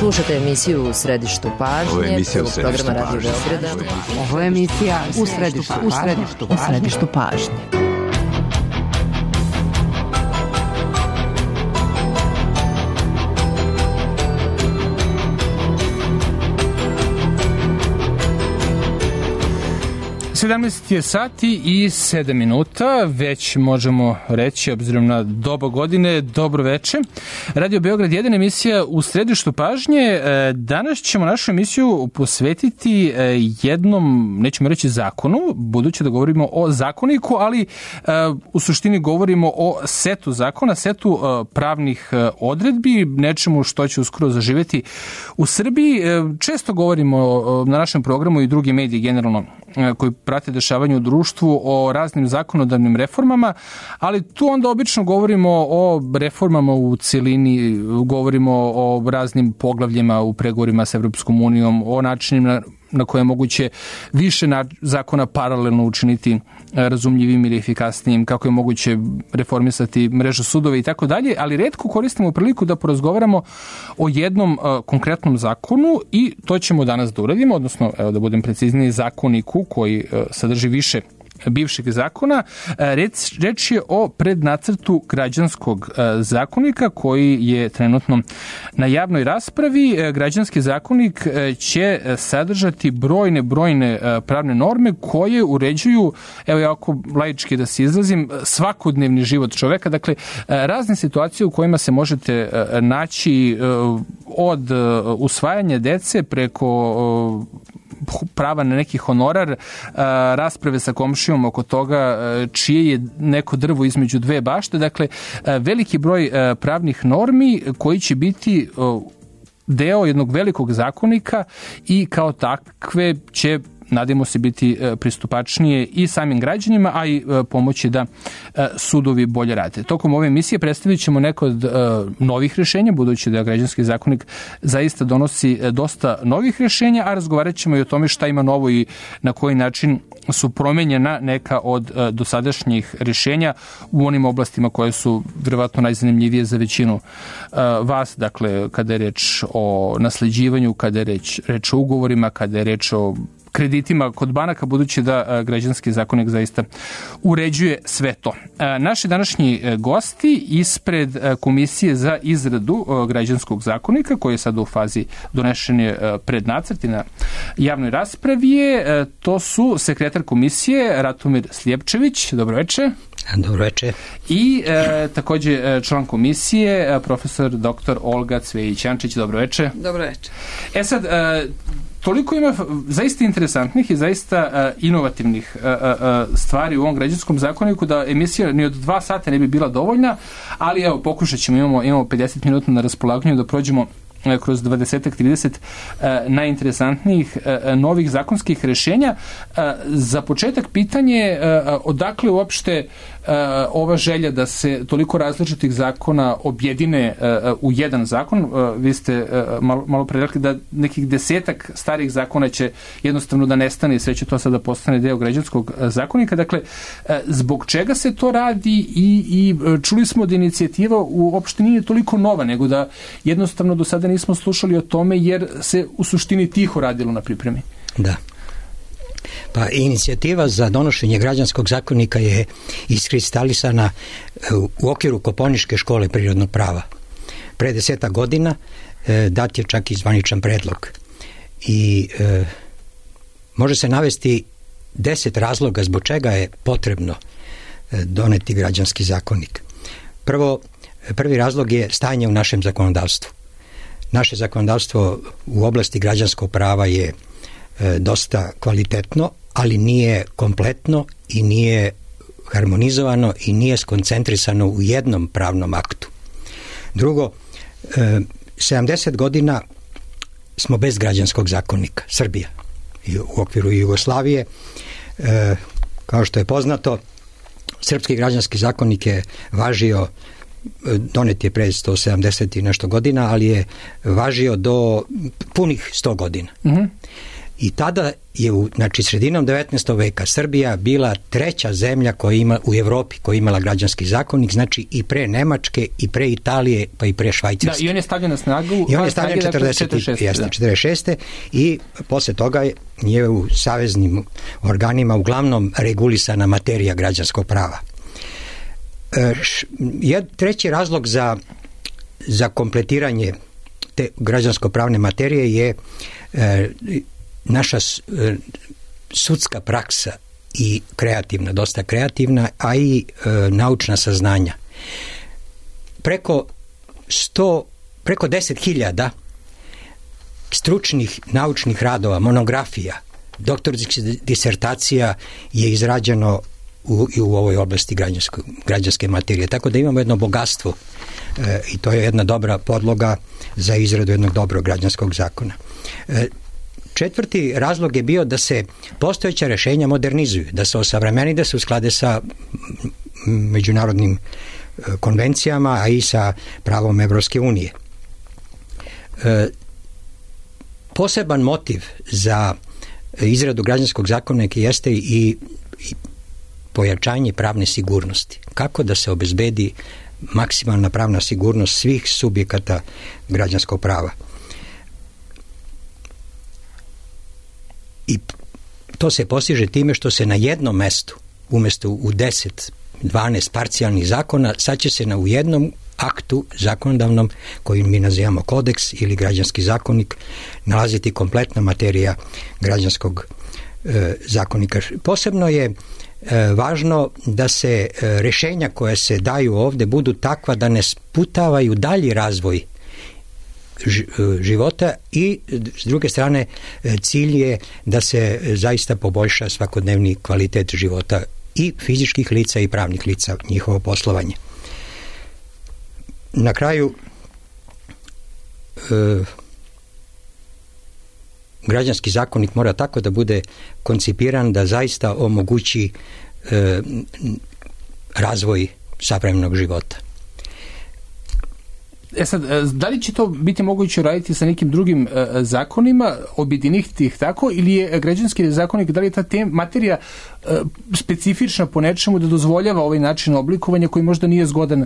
Slušate emisiju U središtu pažnje, programa Radio Beograda. Ovo je emisija U središtu pažnje. Je sati i 7 minuta, već možemo reći, obzirom na doba godine, dobro veče. Radio Beograd 1, emisija U središtu pažnje. Danas ćemo našu emisiju posvetiti jednom, nećemo reći zakonu, budući da govorimo o zakoniku, ali u suštini govorimo o setu zakona, setu pravnih odredbi, nečemu što će uskoro zaživeti u Srbiji. Često govorimo na našem programu i drugi mediji generalno koji prate dešavanje u društvu o raznim zakonodavnim reformama, ali tu onda obično govorimo o reformama u celini, govorimo o raznim poglavljima u pregovorima sa Evropskom unijom, o načinima na koje je moguće više zakona paralelno učiniti razumljivim ili efikasnijim, kako je moguće reformisati mrežu sudova i tako dalje, ali retko koristimo priliku da porazgovaramo o jednom konkretnom zakonu i to ćemo danas da uradimo, odnosno, evo da budem precizniji, zakoniku koji sadrži više bivšeg zakona. Reč je o prednacrtu građanskog zakonika koji je trenutno na javnoj raspravi. Građanski zakonik će sadržati brojne pravne norme koje uređuju, evo jako laički da se izrazim, svakodnevni život čoveka. Dakle, razne situacije u kojima se možete naći od usvajanja dece preko prava na neki honorar, rasprave sa komšijom oko toga čije je neko drvo između dve bašte. Dakle, veliki broj pravnih normi koji će biti deo jednog velikog zakonika i kao takve će, nadamo se, biti pristupačnije i samim građanima, a i pomoći da sudovi bolje rade. Tokom ove emisije predstavit ćemo neko od novih rešenja, budući da građanski zakonik zaista donosi dosta novih rešenja, a razgovarat ćemo i o tome šta ima novo i na koji način su promenjena neka od dosadašnjih rešenja u onim oblastima koje su verovatno najzanimljivije za većinu vas, dakle kada je reč o nasleđivanju, kada je reč o ugovorima, kada je reč o kreditima kod banaka, budući da građanski zakonik zaista uređuje sve to. Naši današnji gosti ispred Komisije za izradu građanskog zakonika, koji je sada u fazi donešenja prednacrt i na javnoj raspravi, to su sekretar komisije Ratomir Sljepčević. Dobro večer. Dobro večer. I takođe član komisije, profesor dr. Olga Cvejić-Jančić. Dobro večer. Dobro večer. Sad, toliko ima zaista interesantnih i zaista inovativnih stvari u ovom građanskom zakoniku da emisija ni od 2 sata ne bi bila dovoljna, ali evo, pokušat ćemo, imamo 50 minuta na raspolaganju da prođemo kroz 20-30 najinteresantnijih novih zakonskih rešenja. Za početak pitanje, odakle uopšte ova želja da se toliko različitih zakona objedine u jedan zakon? Vi ste malo pre rekli da nekih 10 starih zakona će jednostavno da nestane i sve će to sada postane deo građanskog zakonika. Dakle, zbog čega se to radi i čuli smo da inicijativa uopšte nije toliko nova, nego da jednostavno do sada nismo slušali o tome jer se u suštini tiho radilo na pripremi. Da. Pa inicijativa za donošenje građanskog zakonika je iskristalisana u okviru Kopaoničke škole prirodnog prava. Pre 10 godina dat je čak i zvaničan predlog. I može se navesti 10 razloga zbog čega je potrebno doneti građanski zakonik. Prvi razlog je stanje u našem zakonodavstvu. Naše zakonodavstvo u oblasti građanskog prava je dosta kvalitetno, ali nije kompletno i nije harmonizovano i nije skoncentrisano u jednom pravnom aktu. Drugo, 70 godina smo bez građanskog zakonika, Srbija, i u okviru Jugoslavije. Kao što je poznato, srpski građanski zakonik je važio, donet je pre 170 i nešto godina, ali je važio do punih 100 godina. I tada je sredinom 19. veka Srbija bila treća zemlja koja ima u Evropi koja je imala građanski zakonik, znači i pre Nemačke, i pre Italije, pa i pre Švajcarske. Da, i on je stavljen na snagu. I on je stavljen 46. I posle toga je u saveznim organima uglavnom regulisana materija građanskog prava. Treći razlog za kompletiranje te građansko-pravne materije je naša sudska praksa i kreativna, dosta kreativna, a i naučna saznanja. Preko 10.000 stručnih naučnih radova, monografija, doktorskih disertacija je izrađeno u ovoj oblasti građanske materije. Tako da imamo jedno bogatstvo i to je jedna dobra podloga za izradu jednog dobrog građanskog zakona. Četvrti razlog je bio da se postojeća rešenja modernizuju, da se osavremeni, da se usklade sa međunarodnim konvencijama, a i sa pravom Evropske unije. Poseban motiv za izradu građanskog zakonika jeste i pojačanje pravne sigurnosti. Kako da se obezbedi maksimalna pravna sigurnost svih subjekata građanskog prava. I to se postiže time što se na jednom mestu, umjesto u 10-12 parcijalnih zakona, sad će se u jednom aktu zakonodavnom, koji mi nazivamo kodeks ili građanski zakonik, nalaziti kompletna materija građanskog zakonika. Posebno je važno da se rešenja koje se daju ovde budu takva da ne sputavaju dalji razvoj života i s druge strane cilj je da se zaista poboljša svakodnevni kvalitet života i fizičkih lica i pravnih lica, njihovo poslovanje. Na kraju građanski zakonik mora tako da bude koncipiran da zaista omogući razvoj savremenog života. Sad, da li će to biti moguće raditi sa nekim drugim zakonima, objediniti ih tako, ili je građanski zakonik, da li je ta materija specifična po nečemu da dozvoljava ovaj način oblikovanja koji možda nije zgodan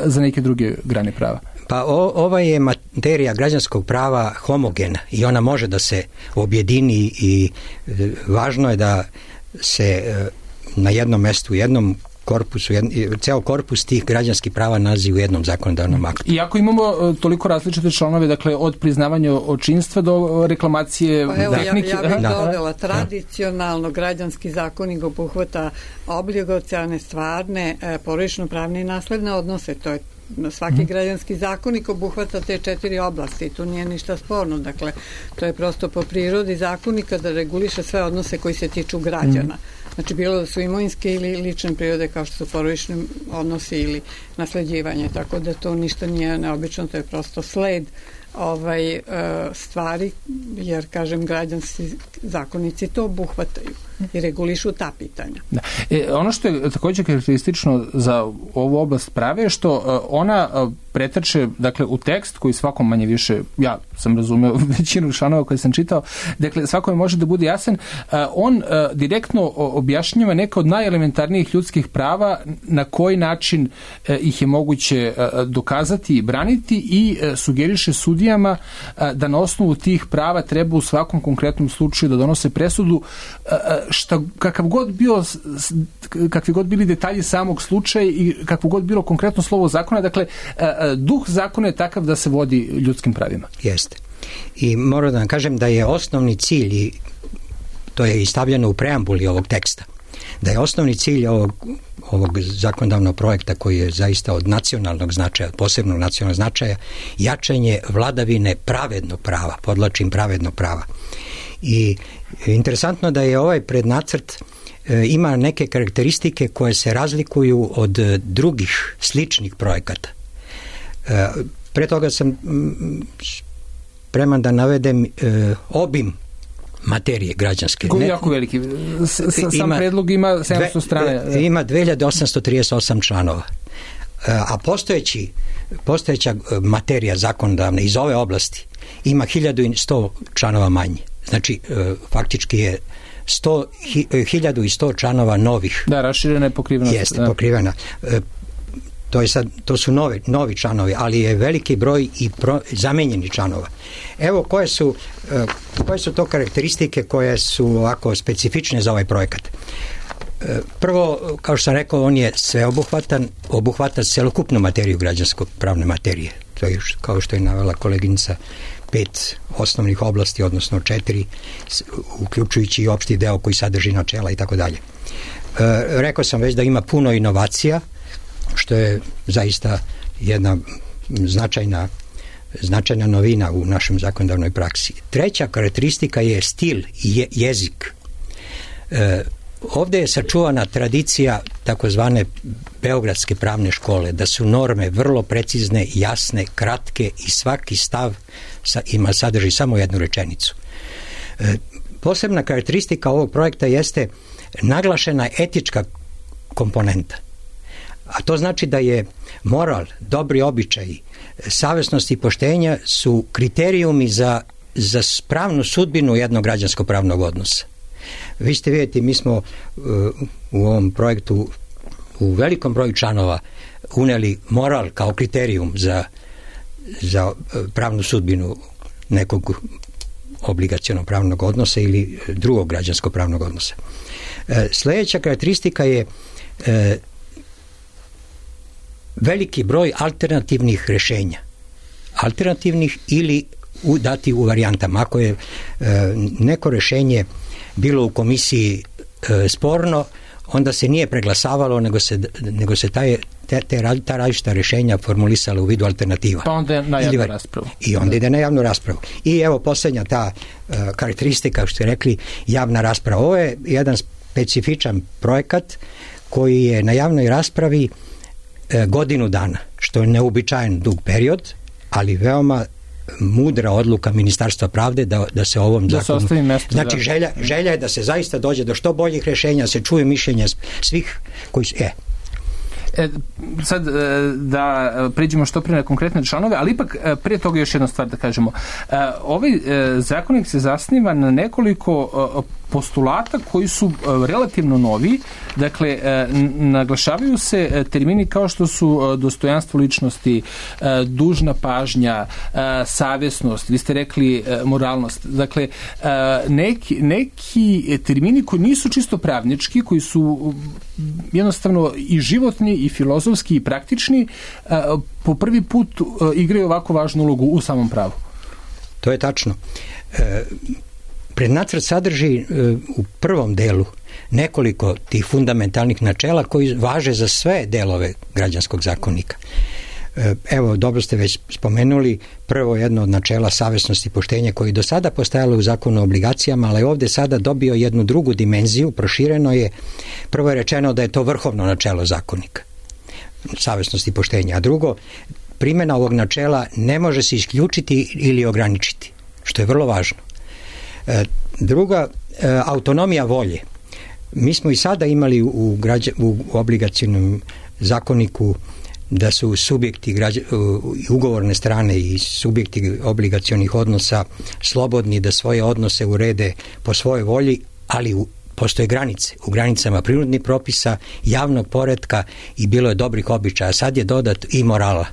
za neke druge grane prava? Pa ova je materija građanskog prava homogena i ona može da se objedini i važno je da se na jednom mestu, jednom korpusu, ceo korpus tih građanskih prava nalazi u jednom zakonodavnom aktu. I ako imamo toliko različite članove, dakle od priznavanja očinstva do reklamacije tehnike... Ja bih dodala, tradicionalno građanski zakonik obuhvata obligacione, stvarne, porodično-pravne i nasledne odnose. To je svaki građanski zakonik obuhvata te 4 oblasti i tu nije ništa sporno. Dakle, to je prosto po prirodi zakonika da reguliše sve odnose koji se tiču građana. Znači, bilo da su imovinske ili lične prirode kao što su porodični odnosi ili nasleđivanje, tako da to ništa nije neobično, to je prosto sled stvari, jer, kažem, građanski zakonici to obuhvataju i regulišu ta pitanja. Da. Ono što je također karakteristično za ovu oblast prave je što ona pretače, dakle, u tekst koji svakom manje više, ja sam razumeo većinu članova koje sam čitao, dakle, svakome može da bude jasan, on direktno objašnjava neka od najelementarnijih ljudskih prava, na koji način ih je moguće dokazati i braniti i sugeriše sudijama da na osnovu tih prava treba u svakom konkretnom slučaju da donose presudu, kakvi god bili detalji samog slučaja i kakvo god bilo konkretno slovo zakona, dakle, duh zakona je takav da se vodi ljudskim pravima. Jeste. I moram da vam kažem da je osnovni cilj, i to je i stavljeno u preambuli ovog teksta, da je osnovni cilj ovog zakonodavnog projekta, koji je zaista od nacionalnog značaja, posebnog nacionalnog značaja, jačanje vladavine pravednog prava, podlačim pravednog prava. I interesantno da je ovaj prednacrt ima neke karakteristike koje se razlikuju od drugih sličnih projekata. Pre toga sam spreman da navedem obim materije građanske. Koji je jako veliki. Sam predlog ima 700 strana. Ima 2838 članova. A postojeća materija zakonodavna iz ove oblasti ima 1100 članova manje. znači faktički je 1100 članova novih. Da, raširena je pokrivenost. Jeste, pokrivena. To su novi članovi, ali je veliki broj i zamenjeni članova. Evo koje su to karakteristike koje su ovako specifične za ovaj projekat. Prvo, kao što sam rekao, on je sveobuhvatan, obuhvata celokupnu materiju građansko-pravne materije. To je, kao što je navela koleginica, 5 osnovnih oblasti, odnosno 4, uključujući i opšti deo koji sadrži načela i tako dalje. Rekao sam već da ima puno inovacija, što je zaista jedna značajna novina u našem zakonodavnoj praksi. Treća karakteristika je stil i jezik. Ovde je sačuvana tradicija takozvane beogradske pravne škole, da su norme vrlo precizne, jasne, kratke i svaki stav sadrži samo jednu rečenicu. Posebna karakteristika ovog projekta jeste naglašena etička komponenta. A to znači da je moral, dobri običaji, savesnost i poštenja su kriterijumi za pravnu sudbinu jednog građansko-pravnog odnosa. Vi ste vidjeti, mi smo u ovom projektu u velikom broju članova uneli moral kao kriterijum za pravnu sudbinu nekog obligacionog pravnog odnosa ili drugog građansko-pravnog odnosa. Sljedeća karakteristika je veliki broj alternativnih rešenja. Alternativnih ili dati u varijantama. Ako je neko rešenje bilo u komisiji sporno, onda se nije preglasavalo, nego se ta različita rešenja formulisala u vidu alternativa. Pa onda na javnu raspravu. I onda ide na javnu raspravu. I evo posljednja ta karakteristika, što ste rekli, javna rasprava. Ovo je jedan specifičan projekat koji je na javnoj raspravi godinu dana, što je neuobičajen dug period, ali veoma mudra odluka Ministarstva pravde da se ovom zakonu... Znači, želja je da se zaista dođe do što boljih rešenja, se čuje mišljenje svih koji su... Sad da priđemo što prije na konkretne članove, ali ipak prije toga još jedna stvar da kažemo. Ovaj zakonik se zasniva na nekoliko postulata koji su relativno novi. Dakle, naglašavaju se termini kao što su dostojanstvo ličnosti, dužna pažnja, savjesnost, vi ste rekli moralnost. Dakle, neki termini koji nisu čisto pravnički, koji su jednostavno i životni i filozofski i praktični, po prvi put igraju ovako važnu ulogu u samom pravu. To je tačno. Prednacrt sadrži u prvom delu nekoliko tih fundamentalnih načela koji važe za sve delove građanskog zakonika. Evo, dobro ste već spomenuli, prvo jedno od načela savesnosti i poštenja koji do sada postojalo u zakonu o obligacijama, ali ovdje sada dobio jednu drugu dimenziju, prošireno je. Prvo je rečeno da je to vrhovno načelo zakonika, savesnosti i poštenja, a drugo, primjena ovog načela ne može se isključiti ili ograničiti, što je vrlo važno. Druga, autonomija volje. Mi smo i sada imali u obligacionom zakoniku da su subjekti ugovorne strane i subjekti obligacionih odnosa slobodni da svoje odnose urede po svojoj volji, ali postoje granice. U granicama prirodnih propisa, javnog poretka i bilo je dobrih običaja. Sad je dodat i morala.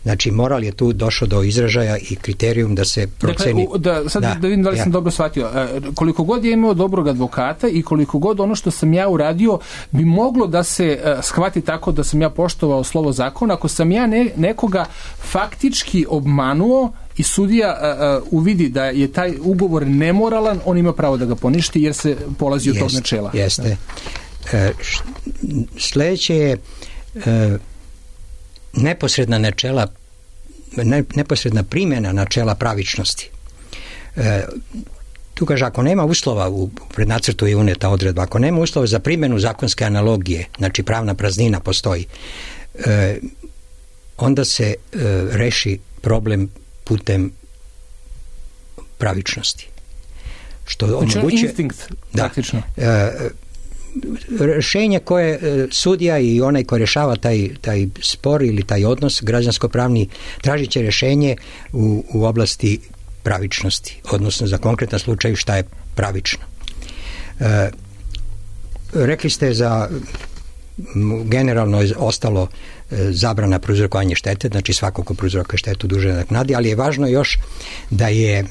Znači, moral je tu došao do izražaja i kriterijum da se proceni... Da vidim da li sam dobro shvatio. Koliko god je imao dobrog advokata i koliko god ono što sam ja uradio bi moglo da se shvati tako da sam ja poštovao slovo zakona, ako sam ja nekoga faktički obmanuo i sudija uvidi da je taj ugovor nemoralan, on ima pravo da ga poništi jer se polazi od tog načela. Jeste. Sljedeće je neposredna primjena načela pravičnosti. Tu kaže, ako nema uslova, u prednacrtu je uneta odredba, ako nema uslova za primjenu zakonske analogije, znači pravna praznina postoji, onda se reši problem putem pravičnosti. Što omogućuje... Instinkt, praktično. Rešenje koje sudija i onaj ko rješava taj spor ili taj odnos građansko-pravni tražit će rješenje u oblasti pravičnosti, odnosno za konkretan slučaj šta je pravično. Rekli ste za generalno je ostalo zabrana prouzrokovanja štete, znači svako ko prouzrokuje štetu dužan da naknadi, ali je važno još da je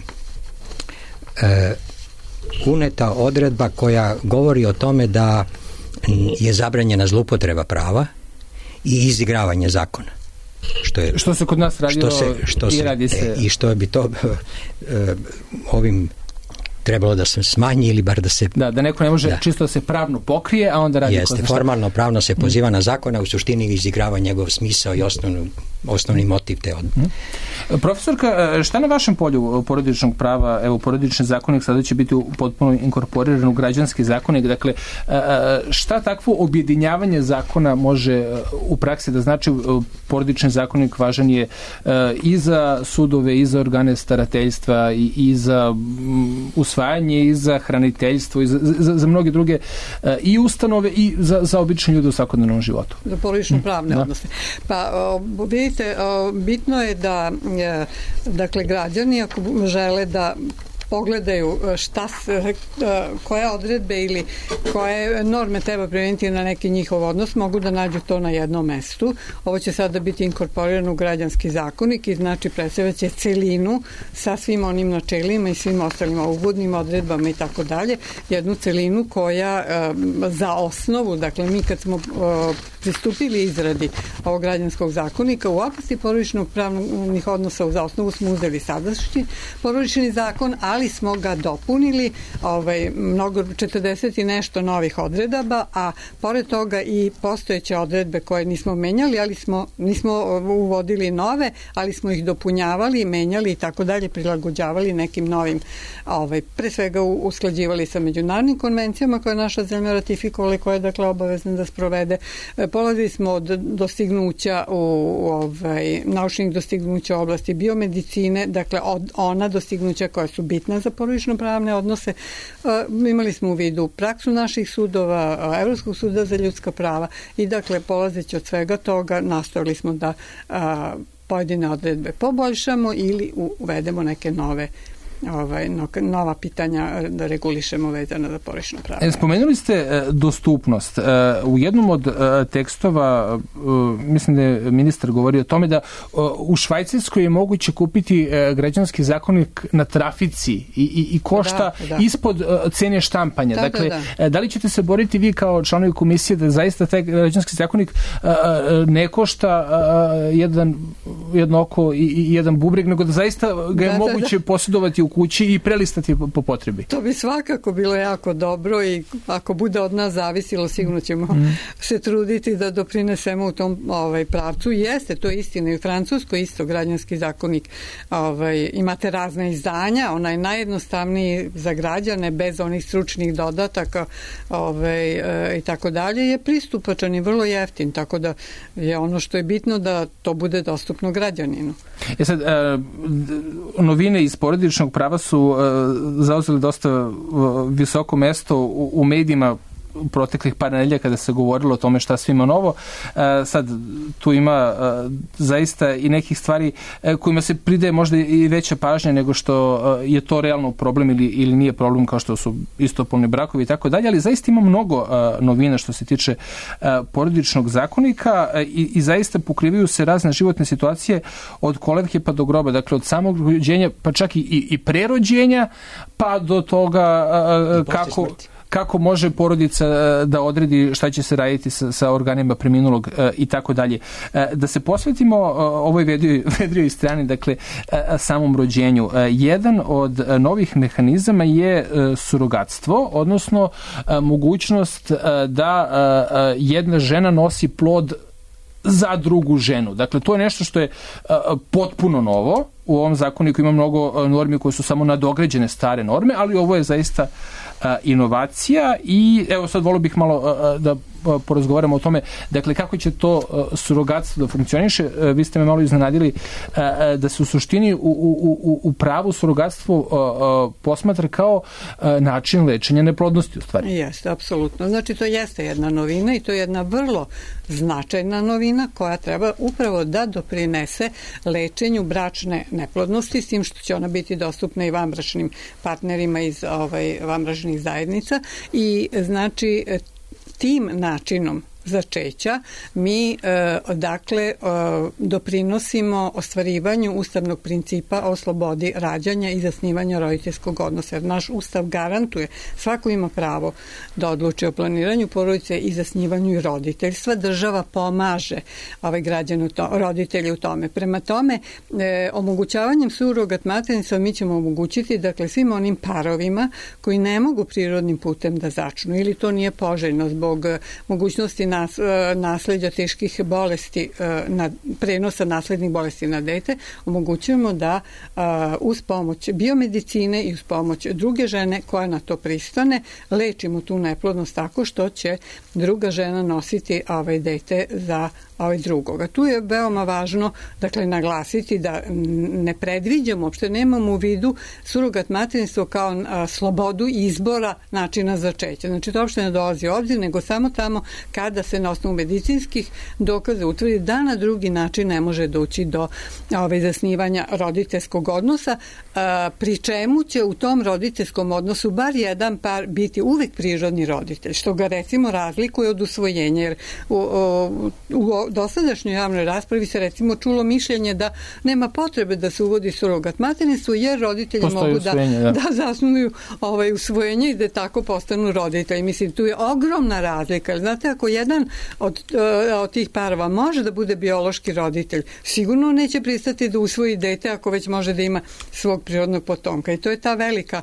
uneta odredba koja govori o tome da je zabranjena zloupotreba prava i izigravanje zakona. Što se kod nas radilo i radi se. I što bi to ovim trebalo da se smanji ili bar da se... Da neko ne može čisto da se pravno pokrije, a onda radi... Jeste, formalno pravno se poziva na zakona, u suštini izigrava njegov smisao i osnovni motiv te odluke. Profesorka, šta na vašem polju porodičnog prava, evo porodični zakonik sada će biti potpuno inkorporiran u građanski zakonik, dakle šta takvo objedinjavanje zakona može u praksi da znači? Porodični zakonik važan je i za sudove, i za organe starateljstva, i za usvajanje, i za hraniteljstvo, i za mnoge druge i ustanove, i za obične ljude u svakodnevnom životu. Za porodično pravne odnose. Pa vidite, bitno je da dakle građani ako žele da pogledaju koje odredbe ili koje norme treba primeniti na neki njihov odnos, mogu da nađu to na jednom mestu. Ovo će sada biti inkorporirano u građanski zakonik i znači predstavljaće celinu sa svim onim načelima i svim ostalim uvodnim odredbama i tako dalje. Jednu celinu koja za osnovu, dakle mi kad smo pristupili izradi ovog građanskog zakonika u oblasti porodičnog pravnih odnosa za osnovu smo uzeli sadašnji porodični zakon, ali smo ga dopunili mnogo 40 i nešto novih odredaba, a pored toga i postojeće odredbe koje nismo menjali, ali nismo uvodili nove, ali smo ih dopunjavali, menjali i tako dalje, prilagođavali nekim novim, pre svega usklađivali sa međunarodnim konvencijama koje naša zemlja ratifikovala i koja je dakle obavezna da sprovede. Polazili smo od dostignuća naučnih dostignuća u oblasti biomedicine, dakle od ona dostignuća koja su bitna za porodično pravne odnose. Imali smo u vidu praksu naših sudova, Evropskog suda za ljudska prava i dakle polazeći od svega toga nastojali smo da pojedine odredbe poboljšamo ili uvedemo neke nova pitanja da regulišemo vezana za porodično pravo. Spomenuli ste dostupnost. U jednom od tekstova, mislim da je ministar govorio o tome da u Švajcarskoj je moguće kupiti građanski zakonik na trafici i košta ispod cene štampanja. Da li ćete se boriti vi kao članovi komisije da zaista taj građanski zakonik ne košta jedno oko i jedan bubreg, nego da zaista ga je moguće posjedovati u kući i prelistati po potrebi? To bi svakako bilo jako dobro i ako bude od nas zavisilo, sigurno ćemo se truditi da doprinesemo u tom pravcu. Jeste, to je istina i u Francuskoj isto građanski zakonik. Imate razna izdanja, onaj najjednostavniji za građane, bez onih stručnih dodataka i tako dalje, je pristupačan i vrlo jeftin, tako da je ono što je bitno da to bude dostupno građaninu. Sad, novine iz porodičnog prava su zauzeli dosta visoko mesto u medijima proteklih par nedelja kada se govorilo o tome šta sve ima novo. Sad tu ima zaista i nekih stvari kojima se pridaje možda i veća pažnja nego što je to realno problem ili nije problem, kao što su istopolni brakovi i tako dalje, ali zaista ima mnogo novina što se tiče porodičnog zakonika i zaista pokrivaju se razne životne situacije od kolevke pa do groba, dakle od samog rođenja pa čak i prerođenja pa do toga kako može porodica da odredi šta će se raditi sa organima preminulog i tako dalje. Da se posvetimo ovoj vedrijoj strani, dakle samom rođenju. Jedan od novih mehanizama je surogatstvo, odnosno mogućnost da jedna žena nosi plod za drugu ženu. Dakle, to je nešto što je potpuno novo. U ovom zakoniku ima mnogo normi koje su samo nadograđene stare norme, ali ovo je zaista inovacija i evo sad volio bih malo da porazgovaramo o tome, dakle kako će to surogatstvo da funkcioniše. Vi ste me malo iznenadili da se u suštini u pravu surogatstvo posmatra kao način lečenja neplodnosti u stvari. Jeste, apsolutno. Znači to jeste jedna novina i to je jedna vrlo značajna novina koja treba upravo da doprinese lečenju bračne neplodnosti, s tim što će ona biti dostupna i vanbračnim partnerima iz vanbračnih zajednica i znači tim načinom začeća mi doprinosimo ostvarivanju ustavnog principa o slobodi rađanja i zasnivanja roditeljskog odnosa. Jer naš ustav garantuje, svako ima pravo da odluči o planiranju porodice i zasnivanju i roditeljstva. Država pomaže roditelji u tome. Prema tome, omogućavanjem surogat materinstva mi ćemo omogućiti svim onim parovima koji ne mogu prirodnim putem da začnu ili to nije poželjno zbog mogućnosti nasleđa teških bolesti, prenosa naslednih bolesti na dete, omogućujemo da uz pomoć biomedicine i uz pomoć druge žene koja na to pristane, lečimo tu neplodnost tako što će druga žena nositi dete za drugoga. Tu je veoma važno naglasiti da ne predviđamo, uopšte nemamo u vidu surogat materinstvo kao slobodu izbora načina začeća. Znači, to uopšte ne dolazi u obzir, nego samo tamo kada se na osnovu medicinskih dokaza utvrdi da na drugi način ne može doći do zasnivanja roditeljskog odnosa, pri čemu će u tom roditeljskom odnosu bar jedan par biti uvek prirodni roditelj, što ga recimo razlikuje od usvojenja, jer u dosadašnjoj javnoj raspravi se recimo čulo mišljenje da nema potrebe da se uvodi surogat materinstvo jer roditelji mogu da zasnuju usvojenje i da tako postanu roditelji. Mislim, tu je ogromna razlika. Znate, ako jedan od tih parova može da bude biološki roditelj, sigurno neće pristati da usvoji dete ako već može da ima svog prirodnog potomka. I to je ta velika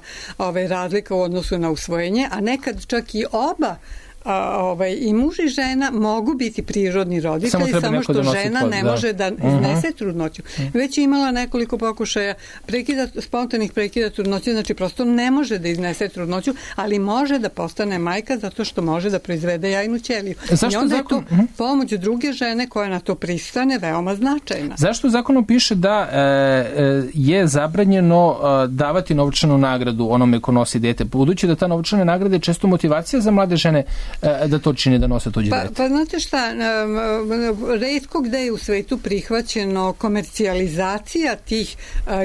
razlika u odnosu na usvojenje, a nekad čak i oba i muž i žena mogu biti prirodni roditelji, samo što žena ne može da iznese trudnoću. Već je imala nekoliko pokušaja spontanih prekida trudnoće, znači prosto ne može da iznese trudnoću, ali može da postane majka zato što može da proizvede jajnu ćeliju. I onda je to pomoć druge žene koja na to pristane veoma značajna. Zašto u zakonu piše da je zabranjeno davati novčanu nagradu onome ko nosi dete, budući da ta novčana nagrada je često motivacija za mlade žene da to čini, da nose tuđe dete? Pa znate šta, retko gde je u svetu prihvaćeno komercijalizacija tih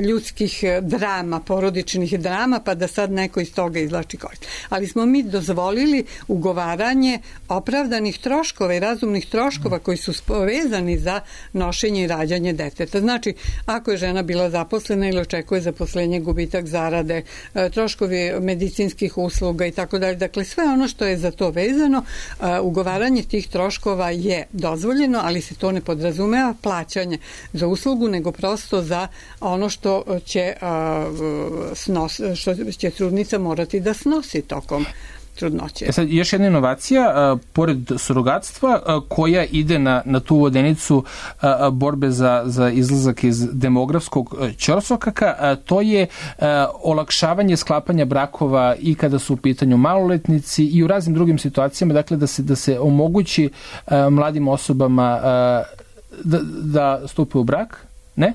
ljudskih drama, porodičnih drama, pa da sad neko iz toga izvlači korist. Ali smo mi dozvolili ugovaranje opravdanih troškova i razumnih troškova koji su povezani za nošenje i rađanje deteta. Znači, ako je žena bila zaposlena ili očekuje zaposlenje, gubitak zarade, troškovi medicinskih usluga i tako dalje, dakle sve ono što je za to vezano, ugovaranje tih troškova je dozvoljeno, ali se to ne podrazumeva plaćanje za uslugu, nego prosto za ono što će trudnica morati da snosi tokom trudnoće. Sad, još jedna inovacija, pored surogatstva, koja ide na tu vodenicu borbe za izlazak iz demografskog ćorsokaka, to je olakšavanje sklapanja brakova i kada su u pitanju maloletnici i u raznim drugim situacijama, dakle da se omogući mladim osobama da stupe u brak, ne?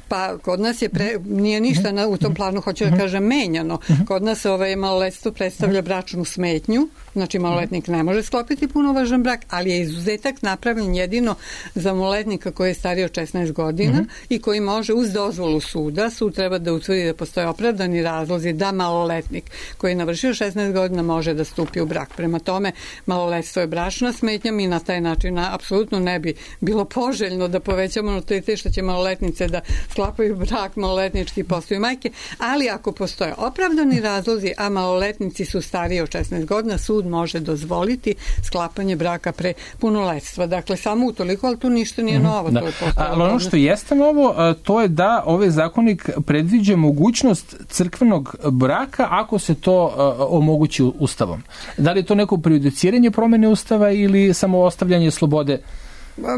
Pa kod nas nije ništa u tom planu, hoću da kažem, menjano. Kod nas maloletstvo predstavlja bračnu smetnju, znači maloletnik ne može sklopiti punovažan brak, ali je izuzetak napravljen jedino za maloletnika koji je stariji od 16 godina i koji može uz dozvolu suda, sud treba da utvrdi da postoje opravdani razlozi da maloletnik koji je navršio 16 godina može da stupi u brak. Prema tome, maloletstvo je bračna smetnja i na taj način apsolutno ne bi bilo poželjno da povećamo natalitet što će maloletnice da sklapaju brak, maloletnički postaju majke, ali ako postoje opravdani razlozi, a maloletnici su stariji od 16 godina, sud može dozvoliti sklapanje braka pre punoletstva. Dakle, samo utoliko, ali tu ništa nije novo. Da. Ali ono što jeste novo, to je da ovaj zakonik predviđa mogućnost crkvenog braka ako se to omogući ustavom. Da li je to neko prejudiciranje promene ustava ili samo ostavljanje slobode?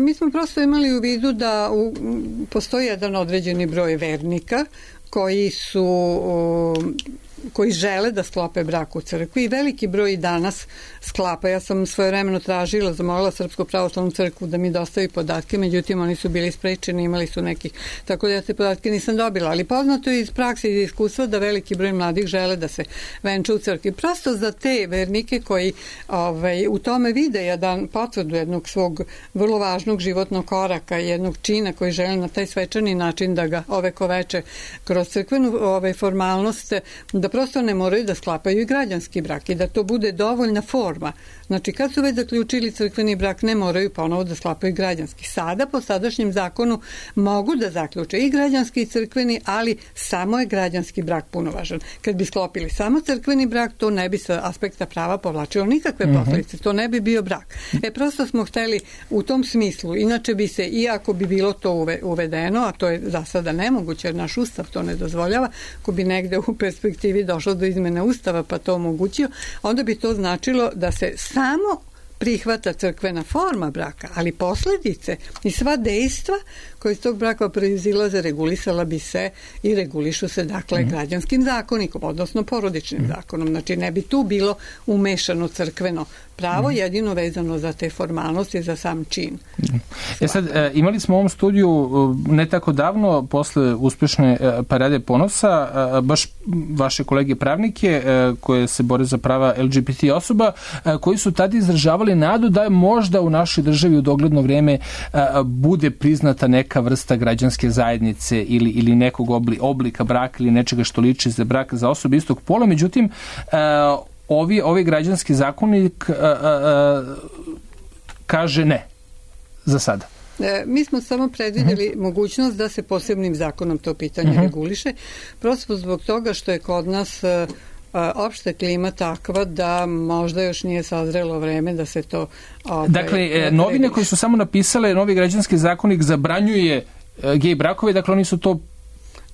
Mi smo prosto imali u vidu da postoji jedan određeni broj vernika koji su koji žele da sklope brak u crkvi i veliki broj danas sklapa. Ja sam svojevremeno tražila, zamolila Srpsku pravoslavnu crkvu da mi dostavi podatke, međutim oni su bili sprečeni, imali su nekih, tako da ja te podatke nisam dobila, ali poznato je iz prakse i iz iskustva da veliki broj mladih žele da se venča u crkvi. Prosto za te vernike koji u tome vide jedan potvrdu jednog svog vrlo važnog životnog koraka, jednog čina koji žele na taj svečani način da ga ovekoveče kroz crkvenu formalnost, da prosto ne moraju da sklapaju i građanski brak i da to bude dovoljna forma. Znači, kad su već zaključili crkveni brak, ne moraju ponovo da sklapaju građanski. Sada, po sadašnjem zakonu, mogu da zaključe i građanski i crkveni, ali samo je građanski brak punovažan. Kad bi sklopili samo crkveni brak, to ne bi sa aspekta prava povlačilo nikakve posledice. To ne bi bio brak. Prosto smo hteli u tom smislu. Inače bi se, iako bi bilo to uvedeno, a to je za sada nemoguće, jer naš ustav to ne dozvoljava, ako bi negde u perspektivi došlo do izmene ustava pa to omogućio, onda bi to značilo da se samo prihvata crkvena forma braka, ali posledice i sva dejstva koje iz tog braka proizilaze regulisala bi se i regulišu se dakle građanskim zakonikom, odnosno porodičnim zakonom. Znači ne bi tu bilo umešano crkveno pravo, jedino vezano za te formalnosti, za sam čin. Sad, imali smo u ovom studiju ne tako davno, posle uspešne parade ponosa, baš vaše kolege pravnike koje se bore za prava LGBT osoba, koji su tada izražavali nadu da je možda u našoj državi u dogledno vreme bude priznata neka vrsta građanske zajednice ili nekog oblika braka ili nečega što liči za brak za osobe istog pola. Međutim, Ovi građanski zakonik kaže ne za sada. Mi smo samo predvidjeli mogućnost da se posebnim zakonom to pitanje reguliše, prosto zbog toga što je kod nas opšta klima takva da možda još nije sazrelo vreme da se to... Dakle, novine koje su samo napisale, novi građanski zakonik zabranjuje gej brakove, dakle oni su to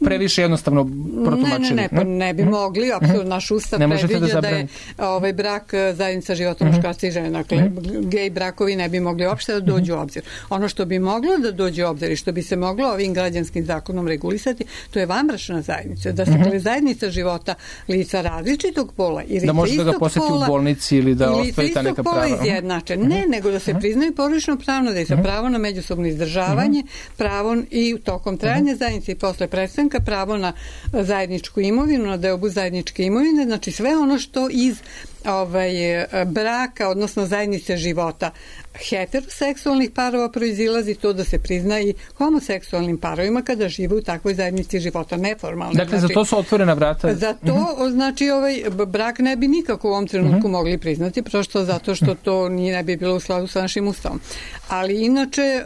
previše jednostavno protumačili. Ne bi mogli, apsolutno naš ustav predviđa da je brak zajednica života muškarca i žene. Dakle, gej brakovi ne bi mogli uopšte da dođu u obzir. Ono što bi moglo da dođe u obzir i što bi se moglo ovim građanskim zakonom regulisati, to je vanbračna zajednica. Da se zajednica života lica različitog pola ili da može da ga poseti u bolnici ili da ostvari ta neka prava. Izjednače. Ne, nego da se priznaju porodično pravno, da je sa pravo na međusobno izdržavanje, pravo i tokom trajanja zajednice i posle prestanka pravo na zajedničku imovinu, na deobu zajedničke imovine, znači sve ono što iz braka, odnosno zajednice života heteroseksualnih parova proizilazi, to da se prizna i homoseksualnim parovima kada žive u takvoj zajednici života, neformalno. Dakle, za to su otvorena vrata? Za to, znači, brak ne bi nikako u ovom trenutku mogli priznati, prosto zato što to ne bi bilo u skladu sa našim ustavom. Ali inače,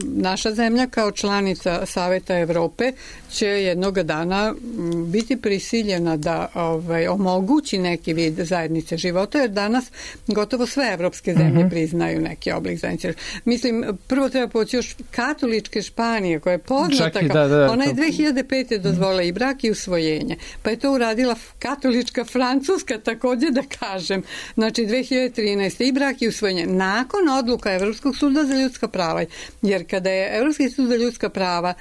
naša zemlja kao članica Saveta Evrope će jednog dana biti prisiljena da omogući neki vid zajednice života, jer danas gotovo sve evropske zemlje priznaju neki oblik zajednice. Mislim, prvo treba poći još katoličke Španije, koja je poznata ona je 2005. dozvolila i brak i usvojenje. Pa je to uradila katolička Francuska, također da kažem. Znači, 2013. i brak i usvojenje. Nakon odluka Evropskog suda za ljudska prava. Jer kada je Evropski sud za ljudska prava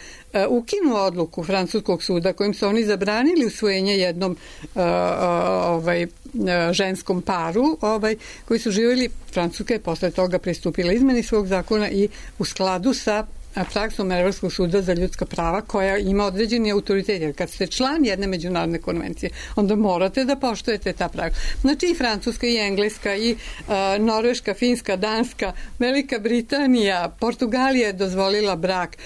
ukinuo odluku Francuskog suda kojim su oni zabranili usvojenje jednom ženskom paru koji su živjeli, Francuska je posle toga pristupila izmeni svog zakona i u skladu sa praksom Evropskog suda za ljudska prava koja ima određeni autoritet. Jer kad ste član jedne međunarodne konvencije, onda morate da poštujete ta prava. Znači i Francuska i Engleska i Norveška, Finska, Danska, Velika Britanija, Portugalija je dozvolila brak,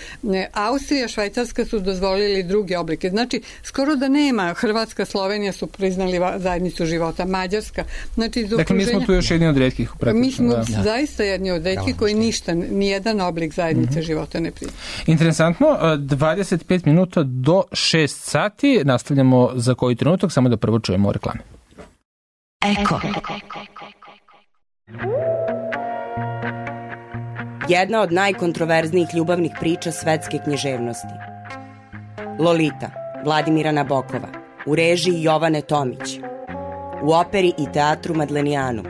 Austrija, Švajcarska su dozvolili druge oblike. Znači skoro da nema, Hrvatska, Slovenija su priznali zajednicu života, Mađarska. Znači, dakle, mi smo tu još jedni od retkih. Mi smo zaista jedni od retkih koji ništa, nijedan oblik zajednice života ne priznaju. Interesantno, 25 minuta do 6 sati, nastavljamo za koji trenutak, samo da prvo čujemo reklame. Eko. Jedna od najkontroverznijih ljubavnih priča svetske književnosti. Lolita, Vladimira Nabokova, u režiji Jovane Tomić, u operi i teatru Madlenijanu.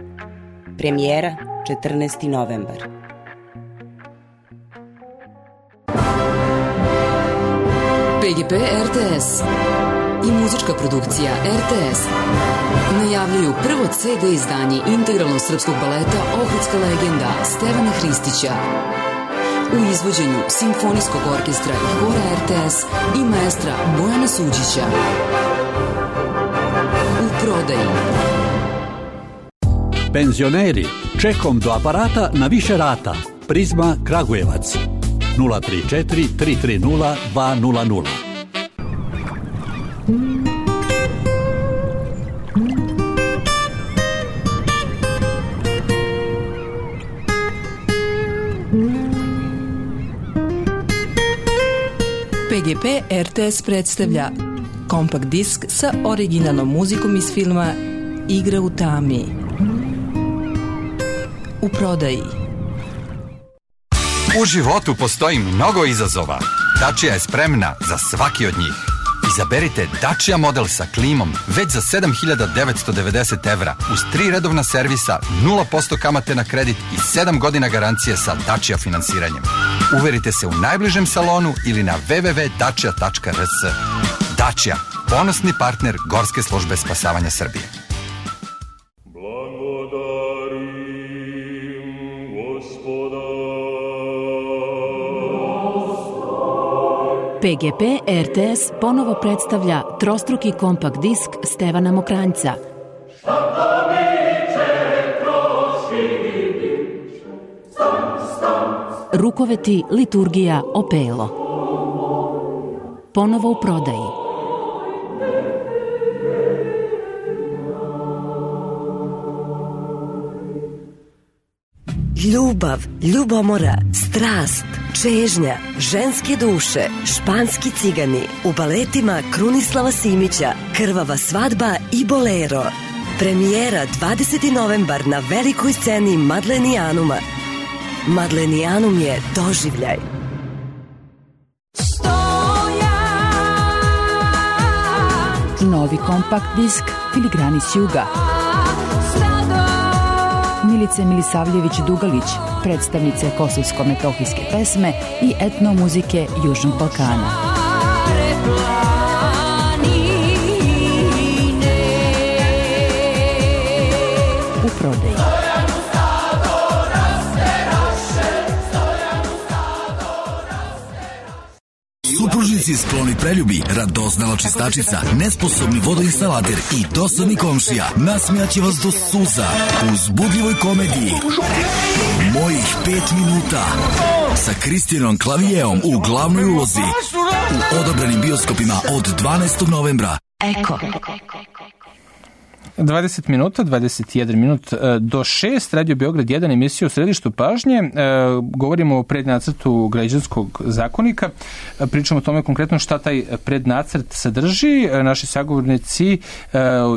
Premijera 14. novembar. PGP RTS i muzička produkcija RTS najavljuju prvo CD izdanje integralnog srpskog baleta Ohridska legenda Stevana Hristića u izvođenju Simfonijskog orkestra i hora RTS i maestra Bojana Suđića. U prodaji. Penzioneri, čekom do aparata na više rata. Prizma Kragujevac 034 330 200. PGP RTS predstavlja kompakt disk sa originalnom muzikom iz filma Igra u tami. U prodaji. U životu postoji mnogo izazova. Dacia je spremna za svaki od njih. Izaberite Dacia model sa klimom već za 7.990 evra uz 3 redovna servisa, 0% kamate na kredit i 7 godina garancije sa Dacia finansiranjem. Uverite se u najbližem salonu ili na www.dacia.rs. Dacia, ponosni partner Gorske službe spasavanja Srbije. PGP RTS ponovo predstavlja trostruki kompakt disk Stevana Mokranjca. Rukoveti, liturgija, opelo. Ponovo u prodaji. Ljubav, ljubomora, strast, čežnja, ženske duše, španski cigani, u baletima Krunislava Simića, Krvava svadba i Bolero. Premijera 20. novembar na velikoj sceni Madlenijanuma. Madlenijanum je doživljaj. Novi kompakt disk Filigrani s juga. Milice Milisavljević-Dugalić, predstavnice kosovsko-metohijske pesme i etnomuzike Južnog Balkana. U prodaji. Supružnici skloni preljubi, radoznala čistačica, nesposobni vodoinstalater i dosadni komšija nasmijaće vas do suza u uzbudljivoj komediji Mojih 5 minuta sa Kristijanom Klavijeom u glavnoj ulozi u odabranim bioskopima od 12. novembra. Eko. 20 minuta, 21 minut do 6, Radio Beograd 1, emisija u središtu pažnje. Govorimo o prednacrtu građanskog zakonika. Pričamo o tome konkretno šta taj prednacrt sadrži. Naši sagovornici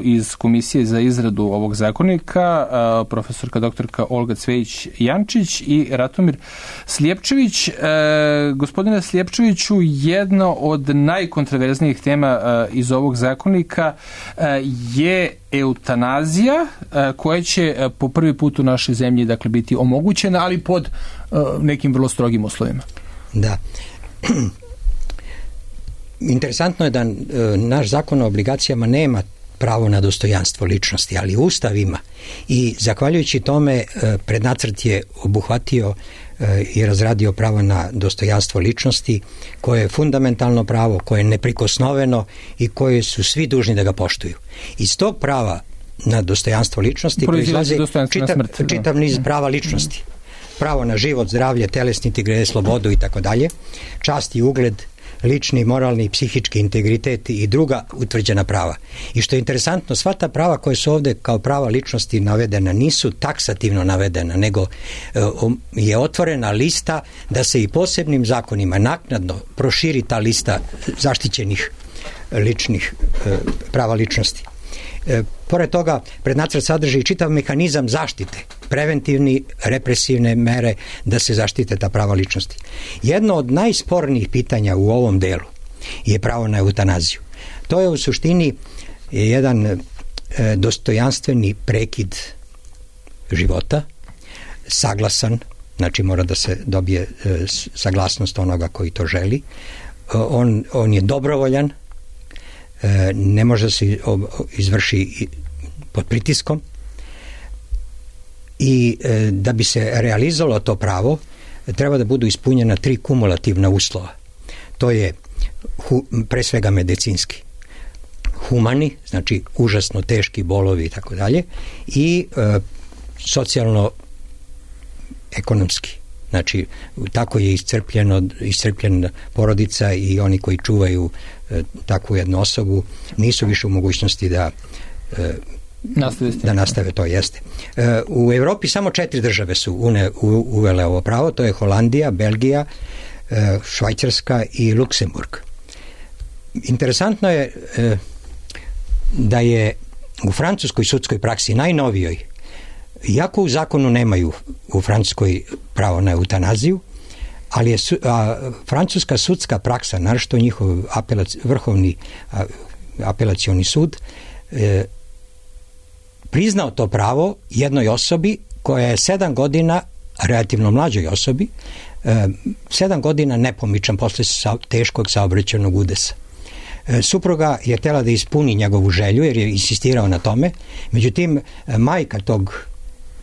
iz Komisije za izradu ovog zakonika, profesorka doktorka Olga Cvejić-Jančić i Ratomir Slijepčević. Gospodine Slijepčeviću, jedna od najkontroverznijih tema iz ovog zakonika je eutanazija, koja će po prvi put u našoj zemlji dakle biti omogućena, ali pod nekim vrlo strogim uslovima. Da. Interesantno je da naš zakon o obligacijama nema pravo na dostojanstvo ličnosti, ali Ustav ima. I zahvaljujući tome prednacrt je obuhvatio i razradio pravo na dostojanstvo ličnosti, koje je fundamentalno pravo, koje je neprikosnoveno i koje su svi dužni da ga poštuju. Iz tog prava na dostojanstvo ličnosti proizlazi čitav niz prava ličnosti. Pravo na život, zdravlje, telesni integritet, slobodu i tako dalje, čast i ugled, lični, moralni i psihički integritet i druga utvrđena prava. I što je interesantno, sva ta prava koje su ovde kao prava ličnosti navedena nisu taksativno navedena, nego je otvorena lista da se i posebnim zakonima naknadno proširi ta lista zaštićenih ličnih prava ličnosti. Pored toga, prednacrt sadrži čitav mehanizam zaštite, preventivni, represivne mere da se zaštite ta prava ličnosti. Jedno od najspornijih pitanja u ovom delu je pravo na eutanaziju. To je u suštini jedan dostojanstveni prekid života, saglasan, znači mora da se dobije saglasnost onoga koji to želi. On je dobrovoljan, ne može da se izvrši pod pritiskom i da bi se realizovalo to pravo treba da budu ispunjena 3 kumulativna uslova. To je pre svega medicinski, humani, znači užasno teški bolovi i tako dalje, i socijalno ekonomski. Znači, tako je iscrpljen porodica i oni koji čuvaju takvu jednu osobu nisu više u mogućnosti da nastave to, jeste. U Evropi samo 4 države su uvele ovo pravo, to je Holandija, Belgija, Švajcarska i Luksemburg. Interesantno je da je u francuskoj sudskoj praksi najnovijoj, iako u zakonu nemaju u Francuskoj pravo na eutanaziju, ali je francuska sudska praksa, naročito njihov vrhovni apelacioni sud, priznao to pravo jednoj osobi koja je 7 godina, relativno mlađoj osobi, 7 godina nepomičan posle teškog saobraćajnog udesa. Supruga je htjela da ispuni njegovu želju jer je insistirao na tome, međutim majka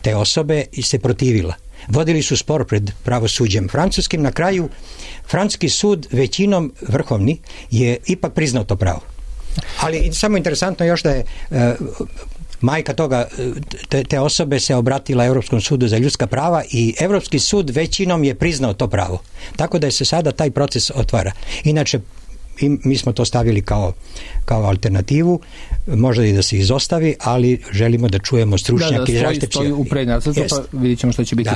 te osobe se protivila. Vodili su spor pred pravosuđem francuskim, na kraju francuski sud većinom vrhovni je ipak priznao to pravo. Ali samo interesantno još da je majka te osobe se obratila Evropskom sudu za ljudska prava i Evropski sud većinom je priznao to pravo. Tako da se sada taj proces otvara. Inače, mi smo to stavili kao alternativu, možda i da se izostavi, ali želimo da čujemo stručnjake. Da, stoji u prednacrtu, pa vidjet ćemo što će biti.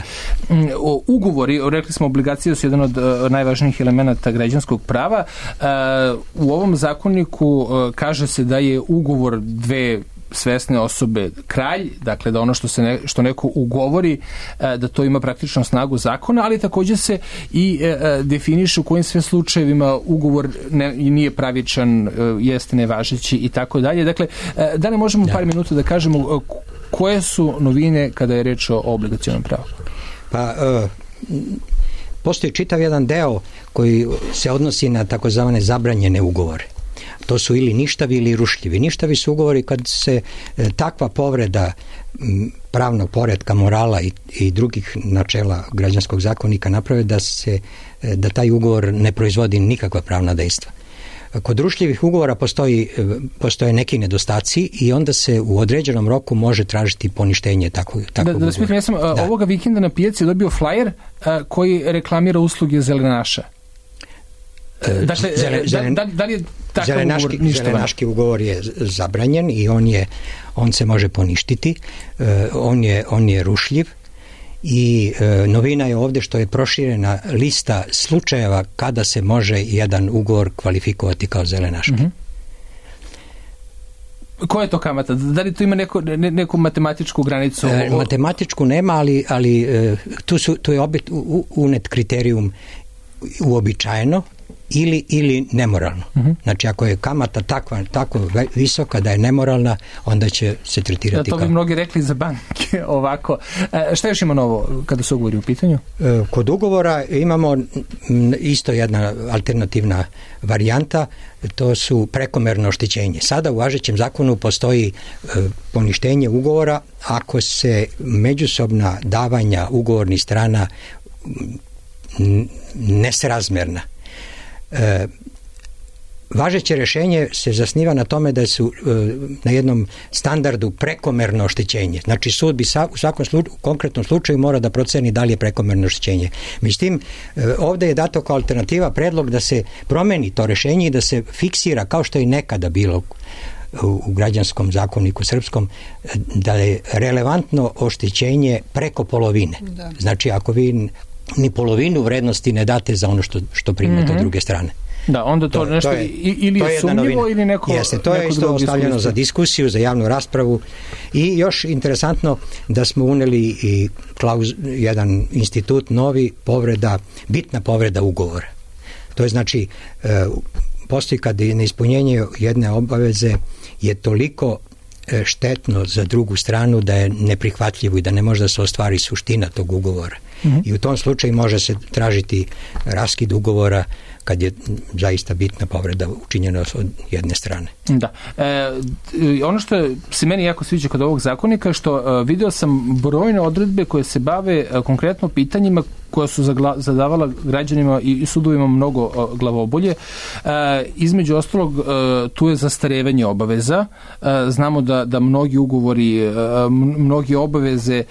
Ugovori, rekli smo, obligacije su jedan od najvažnijih elemenata građanskog prava. U ovom zakoniku kaže se da je ugovor dve svesne osobe kralj, dakle da ono što neko ugovori, da to ima praktično snagu zakona, ali također se i definiše u kojim sve slučajevima ugovor nije pravičan, jeste nevažeći i tako dalje. Dakle, da li možemo par minuta da kažemo koje su novine kada je reč o obligacionom pravu? Pa, postoji čitav jedan deo koji se odnosi na takozvane zabranjene ugovore. To su ili ništavi ili rušljivi. Ništavi su ugovori kad se takva povreda pravnog poretka, morala i drugih načela građanskog zakonika naprave da taj ugovor ne proizvodi nikakva pravna dejstva. Kod rušljivih ugovora postoje neki nedostaci i onda se u određenom roku može tražiti poništenje takvog ugovora. Da spitam, ja sam ovoga vikenda na pijaci dobio flyer koji reklamira usluge zelenaša. Dakle, da li je takav ugovor ništa? Zelenaški ugovor je zabranjen i on se može poništiti, on je rušljiv i novina je ovdje što je proširena lista slučajeva kada se može jedan ugovor kvalifikovati kao zelenaški. Mm-hmm. Koja je to kamata? Da li to ima neku matematičku granicu? Matematičku nema, ali tu je opet unet kriterijum uobičajeno ili nemoralno. Uh-huh. Znači, ako je kamata tako visoka da je nemoralna, onda će se tretirati kao... To bi mnogi rekli za banke ovako. Šta još ima novo kada se ugovori u pitanju? Kod ugovora imamo isto jedna alternativna varijanta, to su prekomerno oštećenje. Sada u važećem zakonu postoji poništenje ugovora ako se međusobna davanja ugovornih strana nesrazmerna. Važeće rješenje se zasniva na tome da su na jednom standardu prekomerno oštećenje. Znači sud bi u svakom konkretnom slučaju mora da proceni da li je prekomerno oštećenje. Međutim, ovdje je dato kao alternativa predlog da se promeni to rješenje i da se fiksira, kao što je nekada bilo u građanskom zakoniku srpskom, da je relevantno oštećenje preko polovine. Da. Znači ako vi ni polovinu vrednosti ne date za ono što primate od druge strane. Da, onda to nešto ili je sumnjivo ili neko... Jeste, to je isto ostavljeno za diskusiju, za javnu raspravu i još interesantno da smo uneli i jedan institut novi, bitna povreda ugovora. To je znači, postoji kad neispunjenje jedne obaveze je toliko štetno za drugu stranu da je neprihvatljivo i da ne može da se ostvari suština tog ugovora. I u tom slučaju može se tražiti raskid ugovora kad je zaista bitna povreda učinjena od jedne strane. Da. Ono što se meni jako sviđa kod ovog zakonika, što video sam brojne odredbe koje se bave konkretno pitanjima koja su zadavala građanima i sudovima mnogo glavobolje. Između ostalog, tu je zastarevanje obaveza. Znamo da mnogi ugovori, mnogi obaveze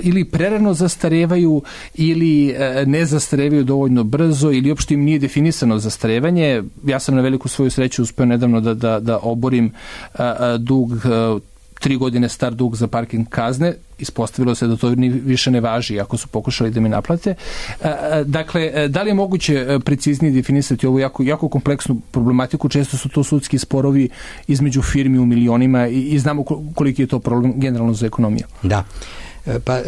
ili prerano zastarevaju ili ne zastarevaju dovoljno brzo ili uopšte im nije definisano zastarevanje. Ja sam na veliku svoju sreću uspeo nedavno da oborim dug 3 godine star dug za parking kazne. Ispostavilo se da to više ne važi ako su pokušali da mi naplate. Dakle, da li je moguće preciznije definisati ovu jako kompleksnu problematiku? Često su to sudski sporovi između firmi u milionima i znamo koliki je to problem generalno za ekonomiju. Da. Pa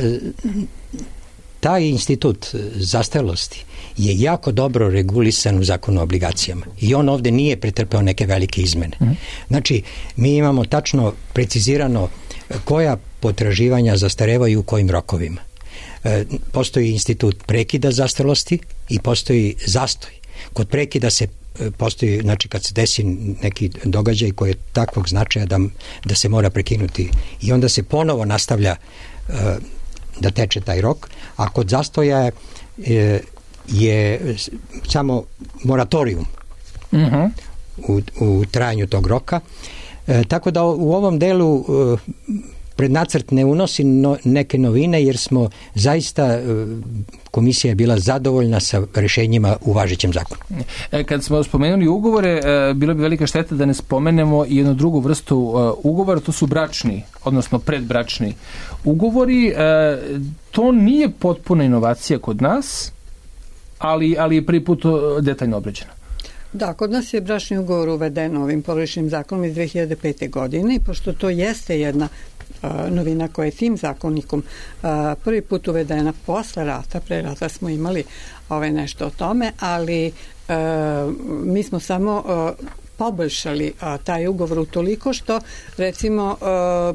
taj institut zastarelosti je jako dobro regulisan u zakonu o obligacijama i on ovde nije pretrpeo neke velike izmene. Znači, mi imamo tačno precizirano koja potraživanja zastarevaju u kojim rokovima. Postoji institut prekida zastarelosti i postoji zastoj. Kod prekida se postoji, znači kad se desi neki događaj koji je takvog značaja da se mora prekinuti i onda se ponovo nastavlja da teče taj rok, a kod zastoja je samo moratorijum u trajanju tog roka. Tako da u ovom delu prednacrt ne unosi neke novine jer smo zaista, komisija je bila zadovoljna sa rešenjima u važećem zakonu. Kad smo spomenuli ugovore, bilo bi velika šteta da ne spomenemo i jednu drugu vrstu ugovora, to su bračni, odnosno predbračni ugovori. To nije potpuna inovacija kod nas, ali je prvi put detaljno obrađeno. Da, kod nas je bračni ugovor uveden ovim porodičnim zakonom iz 2005. godine i pošto to jeste jedna novina koja je tim zakonikom prvi put uvedena posle rata, pre rata smo imali nešto o tome, ali mi smo samo poboljšali taj ugovor utoliko što recimo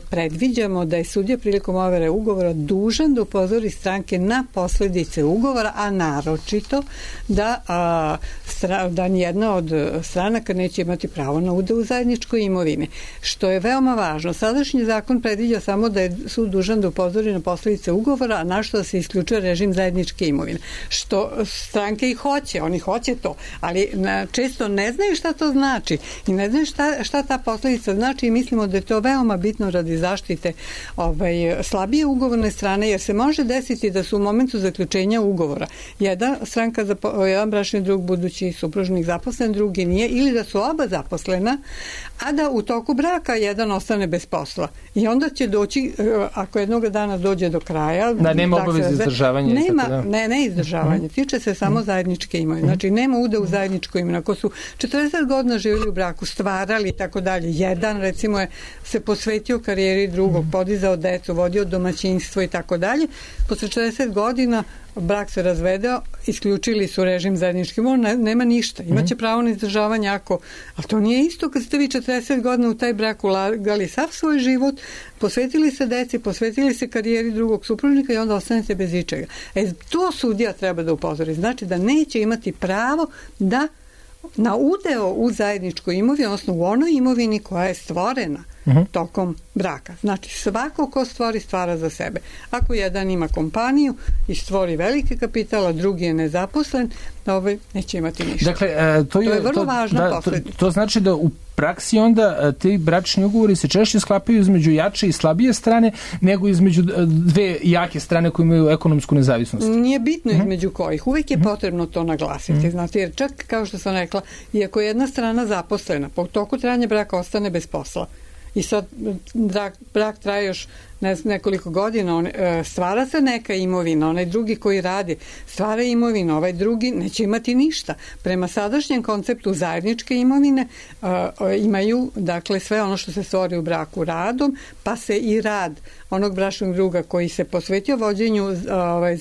predviđamo da je sudija prilikom overe ugovora dužan da upozori stranke na posledice ugovora, a naročito da nijedna od stranaka neće imati pravo na udeo u zajedničkoj imovini, što je veoma važno. Sadašnji zakon predviđa samo da je sud dužan da upozori na posledice ugovora, a na što da se isključuje režim zajedničke imovine, što stranke i hoće, oni hoće to, ali često ne znaju šta to znači i ne znaju šta ta posledica znači i mislimo da je to veoma bitno radi zaštite slabije ugovorne strane, jer se može desiti da su u momentu zaključenja ugovora jedan bračni drug budući supružnik zaposlen, drugi nije, ili da su oba zaposlena, a da u toku braka jedan ostane bez posla. I onda će doći, ako jednog dana dođe do kraja... Da, nema obaveze izdržavanja. Ne izdržavanja. Tiče se samo zajedničke imovine. Znači, nema udeo u zajedničkoj imovine. Ako su 40 godina živjeli u braku, stvarali i tako dalje, jedan, recimo, se posvetio karijeri drugog, podizao decu, vodio domaćinstvo i tako dalje, posle 40 godina brak se razvedeo, isključili su režim zajedničke imovine, nema ništa. Imaće pravo na izdržavanje ali to nije isto kad ste vi 40 godina u taj brak ulagali sav svoj život, posvetili se deci, posvetili se karijeri drugog supružnika i onda ostanete bez ičega. To sudija treba da upozori. Znači da neće imati pravo da na udeo u zajedničkoj imovini, odnosno u onoj imovini koja je stvorena tokom braka. Znači, svako ko stvara za sebe. Ako jedan ima kompaniju i stvori veliki kapital, a drugi je nezaposlen, neće imati ništa. Dakle, to je vrlo važna posledica. To znači da u praksi onda ti bračni ugovori se češće sklapaju između jače i slabije strane nego između dve jake strane koje imaju ekonomsku nezavisnost. Nije bitno između kojih. Uvijek je potrebno to naglasiti. Znate, jer čak, kao što sam rekla, iako je jedna strana zaposlena, po toku trajanja braka ostane bez posla. I sad brak traje još nekoliko godina, stvara se neka imovina, onaj drugi koji radi stvara imovinu, ovaj drugi neće imati ništa. Prema sadašnjem konceptu zajedničke imovine imaju, dakle, sve ono što se stvori u braku radom, pa se i rad onog bračnog druga koji se posvetio vođenju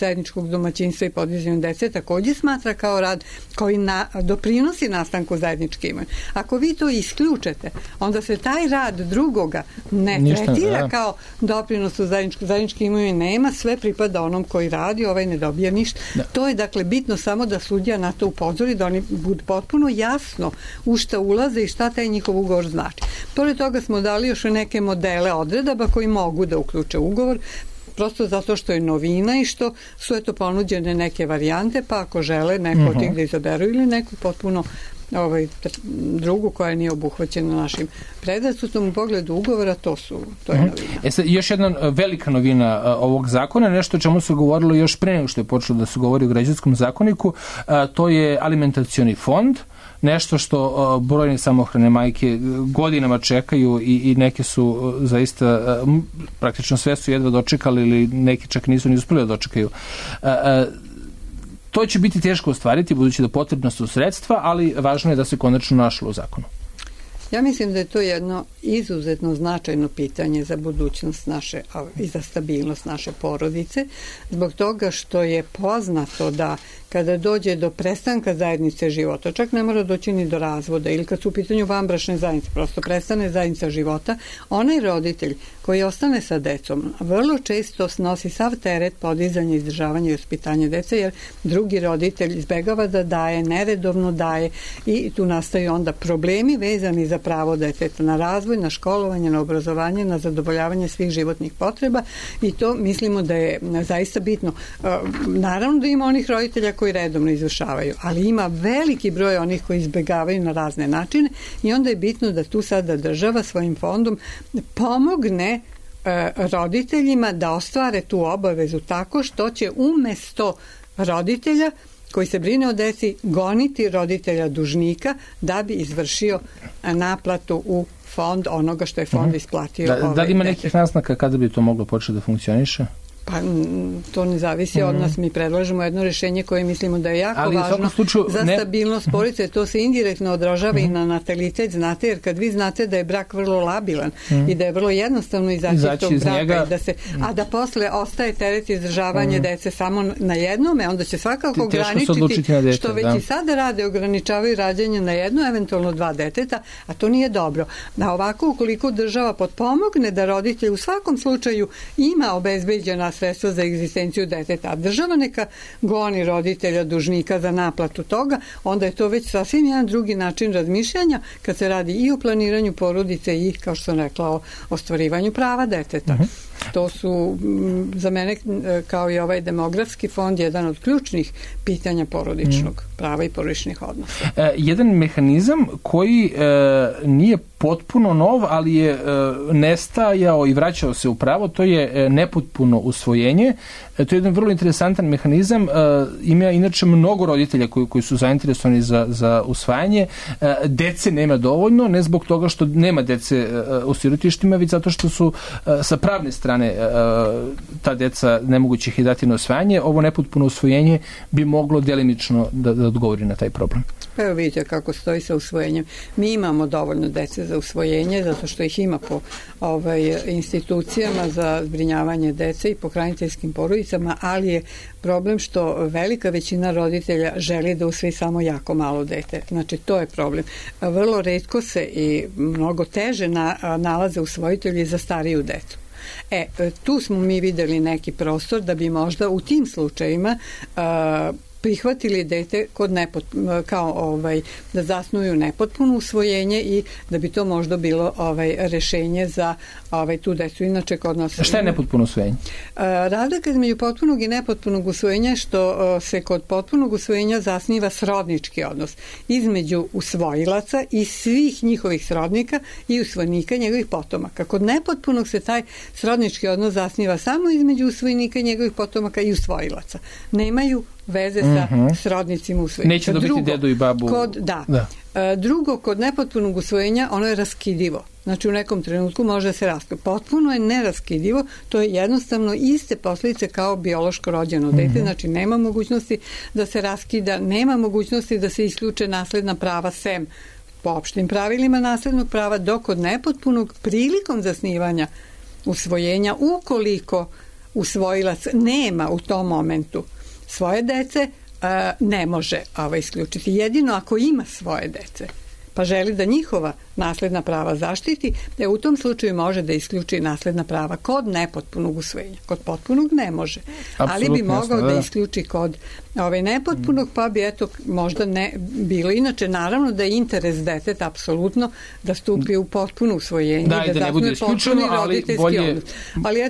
zajedničkog domaćinstva i podizanju dece takođe smatra kao rad koji doprinosi nastanku zajedničke imovine. Ako vi to isključete, onda se taj rad drugoga ne tretira kao doprinos doprinos u zajednički imovine nema, sve pripada onom koji radi, ovaj ne dobija ništa. To je dakle bitno samo da sudija na to upozori, da oni budu potpuno jasno u šta ulaze i šta taj njihov ugovor znači. Pored toga smo dali još neke modele odredaba koji mogu da uključe ugovor, prosto zato što je novina i što su ponuđene neke varijante, pa ako žele neko od tih da izaberu ili neku potpuno drugu koja nije obuhvaćena našim predrasudom u pogledu ugovora, to je novina. Još jedna velika novina ovog zakona, nešto o čemu se govorilo još pre nego što je počelo da se govori o građanskom zakoniku, to je alimentacioni fond, nešto što brojne samohrane majke godinama čekaju i neke su zaista, praktično sve su jedva dočekali ili neki čak nisu ni uspeli da dočekaju. To će biti teško ostvariti, budući da potrebna su sredstva, ali važno je da se konačno našlo u zakonu. Ja mislim da je to jedno izuzetno značajno pitanje za budućnost naše i za stabilnost naše porodice, zbog toga što je poznato da kada dođe do prestanka zajednice života, čak ne mora doći ni do razvoda, ili kad su u pitanju vanbračne zajednice, prosto prestane zajednica života, onaj roditelj koji ostane sa decom vrlo često snosi sav teret podizanja, izdržavanja i vaspitanja dece, jer drugi roditelj izbegava da daje, neredovno daje i tu nastaju onda problemi vezani za pravo deteta na razvoj, na školovanje, na obrazovanje, na zadovoljavanje svih životnih potreba i to mislimo da je zaista bitno. Naravno da ima onih roditelja koji redovno izvršavaju, ali ima veliki broj onih koji izbegavaju na razne načine i onda je bitno da tu sada država svojim fondom pomogne roditeljima da ostvare tu obavezu tako što će umesto roditelja koji se brine o deci goniti roditelja dužnika da bi izvršio naplatu u fond onoga što je fond isplatio. Da li ima nekih naznaka kada bi to moglo početi da funkcioniše? Pa to ne zavisi od nas, mi predlažemo jedno rješenje koje mislimo da je jako važno za stabilnost porodice, to se indirektno odražava i na natalitet, znate, jer kad vi znate da je brak vrlo labilan i da je vrlo jednostavno izaći iz tog braka, a da posle ostaje teret izdržavanja dece samo na jednome, onda će svakako ograničiti, što već i sada rade, ograničavaju rađanje na jedno, eventualno 2 deteta, a to nije dobro. A ovako, ukoliko država potpomogne da roditelj u svakom slučaju ima obezbeđena sredstva za egzistenciju deteta, a država neka goni roditelja dužnika za naplatu toga, onda je to već sasvim jedan drugi način razmišljanja kad se radi i o planiranju porodice i, kao što sam rekla, o ostvarivanju prava deteta. To su za mene, kao i ovaj demografski fond, jedan od ključnih pitanja porodičnog prava i porodičnih odnosa. Jedan mehanizam koji nije potpuno nov, ali je nestajao i vraćao se u pravo, to je nepotpuno usvojenje. To je jedan vrlo interesantan mehanizam. Ima inače mnogo roditelja koji su zainteresovani za usvajanje. Dece nema dovoljno, ne zbog toga što nema dece u sirotištima, već zato što su sa pravne strane ta deca nemoguće ih dati na usvajanje. Ovo nepotpuno usvojenje bi moglo delimično da odgovori na taj problem. Evo vidite kako stoji sa usvojenjem. Mi imamo dovoljno dece za usvojenje, zato što ih ima po institucijama za zbrinjavanje dece i po hraniteljskim porodicama, ali je problem što velika većina roditelja želi da usvoji samo jako malo dete. Znači, to je problem. Vrlo retko se i mnogo teže nalaze usvojitelji za stariju decu. Tu smo mi videli neki prostor da bi možda u tim slučajima prihvatili dete da zasnuju nepotpuno usvojenje i da bi to možda bilo rešenje za tu decu. Inače, kod nas... Šta je nepotpuno usvojenje? Razlika između potpunog i nepotpunog usvojenja je što se kod potpunog usvojenja zasniva srodnički odnos između usvojilaca i svih njihovih srodnika i usvojnika njegovih potomaka. Kod nepotpunog se taj srodnički odnos zasniva samo između usvojnika njegovih potomaka i usvojilaca. Nemaju veze sa srodnicima usvojenja. Neće dobiti dedu i babu. Drugo, kod nepotpunog usvojenja ono je raskidivo. Znači, u nekom trenutku može se raskida. Potpuno je neraskidivo, to je jednostavno iste posljedice kao biološko rođeno dete, znači nema mogućnosti da se raskida, nema mogućnosti da se isključe nasledna prava sem po opštim pravilima naslednog prava, dok kod nepotpunog prilikom zasnivanja usvojenja, ukoliko usvojilac nema u tom momentu svoje dece, ne može isključiti. Jedino ako ima svoje dece. pa želi da njihova nasledna prava zaštiti, u tom slučaju može da isključi nasledna prava kod nepotpunog usvojenja. Kod potpunog ne može. Ali bi mogao da isključi kod nepotpunog, pa bi možda ne bilo. Inače, naravno da je interes deteta apsolutno da stupi u potpuno usvojenje, da zasnuje potpuni roditeljski odnos. Ali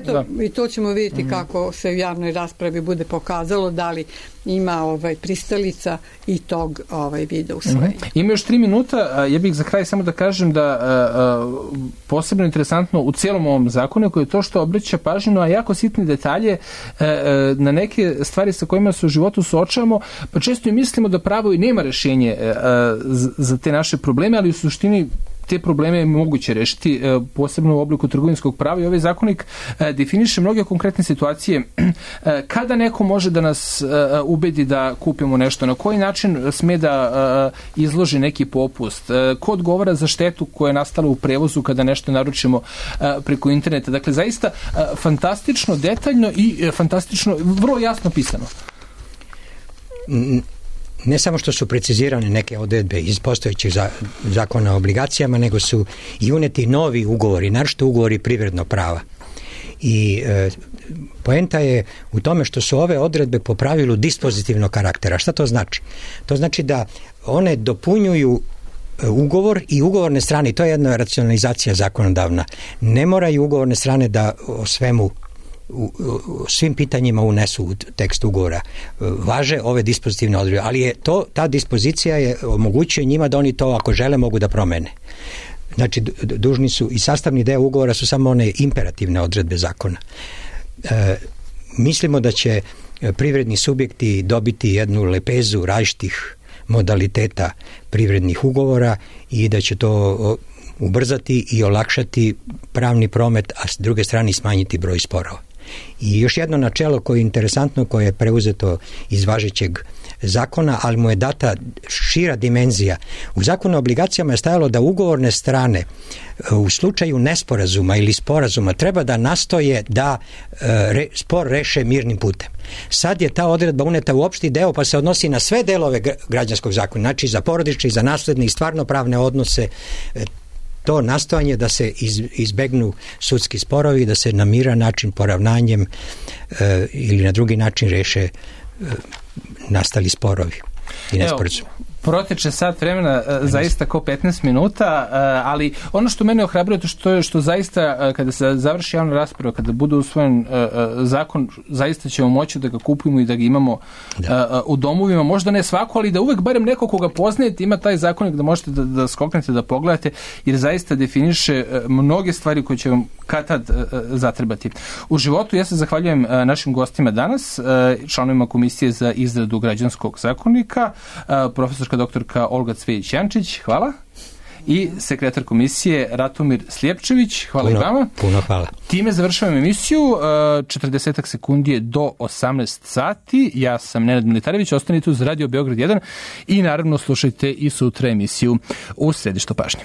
i to ćemo vidjeti kako se u javnoj raspravi bude pokazalo da li ima pristalica i tog vida usvojenja. Ima još 3 minuta, ja bih za kraj samo da kažem da posebno interesantno u cijelom ovom zakonu je to što obraća pažnju na jako sitne detalje, na neke stvari sa kojima se u životu suočavamo, pa često i mislimo da pravo i nema rješenje za te naše probleme, ali u suštini te probleme je moguće rešiti, posebno u obliku trgovinskog prava, i ovaj zakonik definiše mnoge konkretne situacije kada neko može da nas ubedi da kupimo nešto, na koji način sme da izloži neki popust, ko odgovara za štetu koja je nastala u prevozu kada nešto naručimo preko interneta. Dakle, zaista fantastično, detaljno i fantastično, vrlo jasno pisano. Ne samo što su precizirane neke odredbe iz postojećih zakona o obligacijama, nego su i uneti novi ugovori, naročito ugovori privrednog prava. I poenta je u tome što su ove odredbe po pravilu dispozitivnog karaktera. Šta to znači? To znači da one dopunjuju ugovor i ugovorne strane, to je jedna racionalizacija zakonodavna. Ne moraju ugovorne strane da o svim pitanjima unesu u tekst ugovora. Važe ove dispozitivne odredbe, ali je ta dispozicija omogućuje njima da oni to, ako žele, mogu da promene. Znači, dužni su i sastavni deo ugovora su samo one imperativne odredbe zakona. Mislimo da će privredni subjekti dobiti jednu lepezu različitih modaliteta privrednih ugovora i da će to ubrzati i olakšati pravni promet, a s druge strane smanjiti broj sporova. I još jedno načelo koje je interesantno, koje je preuzeto iz važećeg zakona, ali mu je data šira dimenzija. U zakonu o obligacijama je stajalo da ugovorne strane u slučaju nesporazuma ili sporazuma treba da nastoje da spor reše mirnim putem. Sad je ta odredba uneta u opšti deo, pa se odnosi na sve delove građanskog zakona, znači za porodične i za nasledne i stvarno pravne odnose. To nastojanje da se izbegnu sudski sporovi, da se na miran način, poravnanjem ili na drugi način reše nastali sporovi i nesporazumi. Proteče sat vremena, zaista kao 15 minuta, ali ono što mene ohrabruje to je što zaista kada se završi javna rasprava, kada bude usvojen zakon, zaista ćemo moći da ga kupimo i da ga imamo u domovima. Možda ne svako, ali da uvek barem neko koga poznajete ima taj zakonik da možete da skoknete, da pogledate, jer zaista definiše mnoge stvari koje će vam kad-tad zatrebati. U životu ja se zahvaljujem našim gostima danas, članovima Komisije za izradu građanskog zakonika, profesorka doktorka Olga Cvejić-Jančić, hvala. I sekretar komisije Ratomir Slijepčević, hvala i vama. Puno hvala. Time završavam emisiju, 40 sekundi je do 18 sati. Ja sam Nenad Militarević, ostanite uz Radio Beograd 1 i naravno slušajte i sutra emisiju U središtu pažnje.